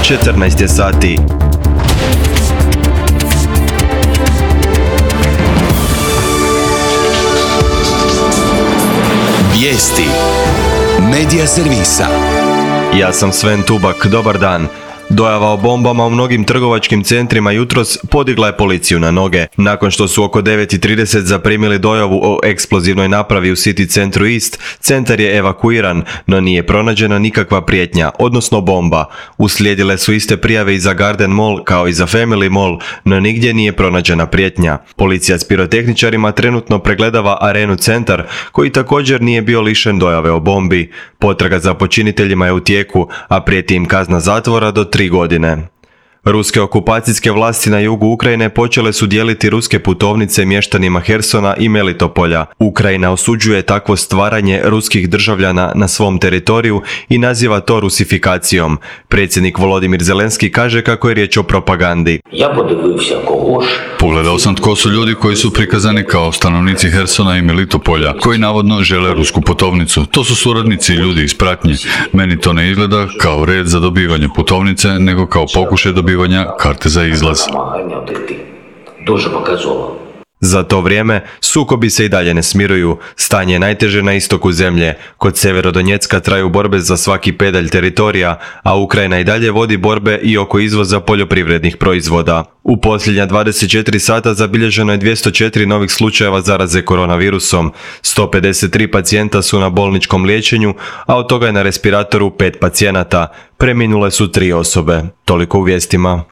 14 je sati. Vijesti Medija servisa. Ja sam Sven Tubak, dobar dan. Dojava o bombama u mnogim trgovačkim centrima jutros podigla je policiju na noge. Nakon što su oko 9:30 zaprimili dojavu o eksplozivnoj napravi u City centru East, centar je evakuiran, no nije pronađena nikakva prijetnja, odnosno bomba. Uslijedile su iste prijave i za Garden Mall kao i za Family Mall, no nigdje nije pronađena prijetnja. Policija s pirotehničarima trenutno pregledava Arenu centar, koji također nije bio lišen dojave o bombi. Potraga za počiniteljima je u tijeku, a prijeti im kazna zatvora do 3 godine. Ruske okupacijske vlasti na jugu Ukrajine počele su dijeliti ruske putovnice mještanima Hersona i Melitopolja. Ukrajina osuđuje takvo stvaranje ruskih državljana na svom teritoriju i naziva to rusifikacijom. Predsjednik Volodimir Zelenski kaže kako je riječ o propagandi. Pogledao sam tko su ljudi koji su prikazani kao stanovnici Hersona i Melitopolja, koji navodno žele rusku putovnicu. To su suradnici i ljudi iz pratnje. Meni to ne izgleda kao red za dobivanje putovnice, nego kao pokušaj dobivanja karte za izlaz. Za to vrijeme sukobi se i dalje ne smiruju. Stanje je najteže na istoku zemlje. Kod Sjeverodonjecka traju borbe za svaki pedalj teritorija, a Ukrajina i dalje vodi borbe i oko izvoza poljoprivrednih proizvoda. U posljednja 24 sata zabilježeno je 204 novih slučajeva zaraze koronavirusom. 153 pacijenta su na bolničkom liječenju, a od toga je na respiratoru 5 pacijenata. Preminule su 3 osobe. Toliko u vijestima.